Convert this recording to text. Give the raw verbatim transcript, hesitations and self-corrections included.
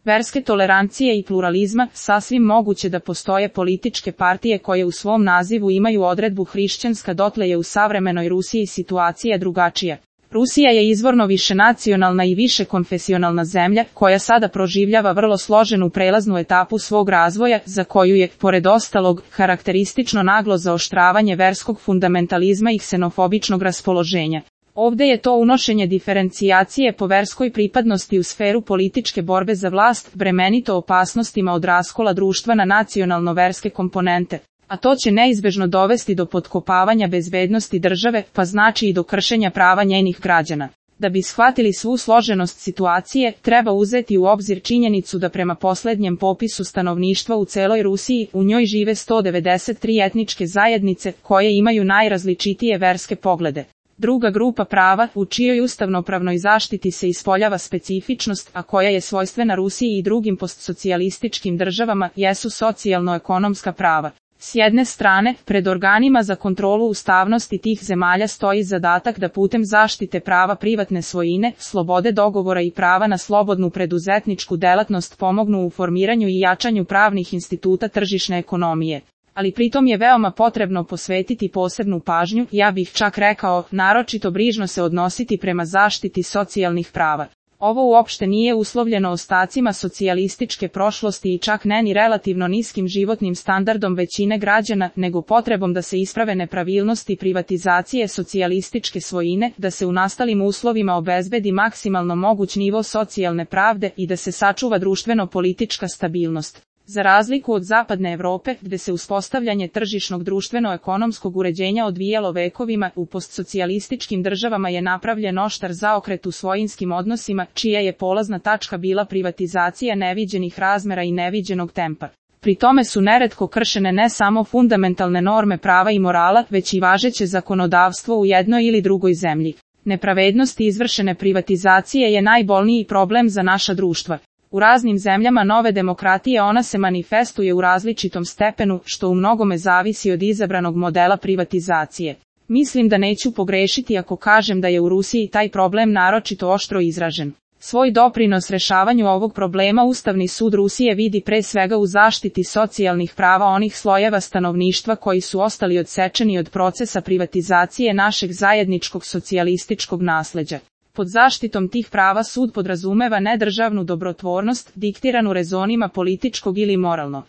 verske tolerancije i pluralizma, sasvim moguće da postoje političke partije koje u svom nazivu imaju odredbu hrišćanska, dotle je u savremenoj Rusiji situacija drugačija. Rusija je izvorno višenacionalna i višekonfesionalna zemlja, koja sada proživljava vrlo složenu prelaznu etapu svog razvoja, za koju je, pored ostalog, karakteristično naglo zaoštravanje verskog fundamentalizma i ksenofobičnog raspoloženja. Ovde je to unošenje diferencijacije po verskoj pripadnosti u sferu političke borbe za vlast bremenito opasnostima od raskola društva na nacionalno-verske komponente, a to će neizbežno dovesti do potkopavanja bezbednosti države, pa znači i do kršenja prava njenih građana. Da bi shvatili svu složenost situacije, treba uzeti u obzir činjenicu da prema poslednjem popisu stanovništva u celoj Rusiji, u njoj žive sto devedeset tri etničke zajednice, koje imaju najrazličitije verske poglede. Druga grupa prava, u čijoj ustavnopravnoj zaštiti se ispoljava specifičnost, a koja je svojstvena Rusiji i drugim postsocijalističkim državama, jesu socijalno-ekonomska prava. S jedne strane, pred organima za kontrolu ustavnosti tih zemalja stoji zadatak da putem zaštite prava privatne svojine, slobode dogovora i prava na slobodnu preduzetničku delatnost pomognu u formiranju i jačanju pravnih instituta tržišne ekonomije. Ali pritom je veoma potrebno posvetiti posebnu pažnju, ja bih čak rekao, naročito brižno se odnositi prema zaštiti socijalnih prava. Ovo uopšte nije uslovljeno ostacima socijalističke prošlosti i čak ne ni relativno niskim životnim standardom većine građana, nego potrebom da se isprave nepravilnosti privatizacije socijalističke svojine, da se u nastalim uslovima obezbedi maksimalno moguć nivo socijalne pravde i da se sačuva društveno-politička stabilnost. Za razliku od zapadne Evrope, gde se uspostavljanje tržišnog društveno-ekonomskog uređenja odvijalo vekovima, u postsocijalističkim državama je napravljen oštar zaokret u svojinskim odnosima, čija je polazna tačka bila privatizacija neviđenih razmera i neviđenog tempa. Pri tome su neretko kršene ne samo fundamentalne norme prava i morala, već i važeće zakonodavstvo u jednoj ili drugoj zemlji. Nepravednost izvršene privatizacije je najbolniji problem za naša društva. U raznim zemljama nove demokratije ona se manifestuje u različitom stepenu, što u mnogome zavisi od izabranog modela privatizacije. Mislim da neću pogrešiti ako kažem da je u Rusiji taj problem naročito oštro izražen. Svoj doprinos rešavanju ovog problema Ustavni sud Rusije vidi pre svega u zaštiti socijalnih prava onih slojeva stanovništva koji su ostali odsečeni od procesa privatizacije našeg zajedničkog socijalističkog nasleđa. Pod zaštitom tih prava sud podrazumeva nedržavnu dobrotvornost, diktiranu rezonima političkog ili moralno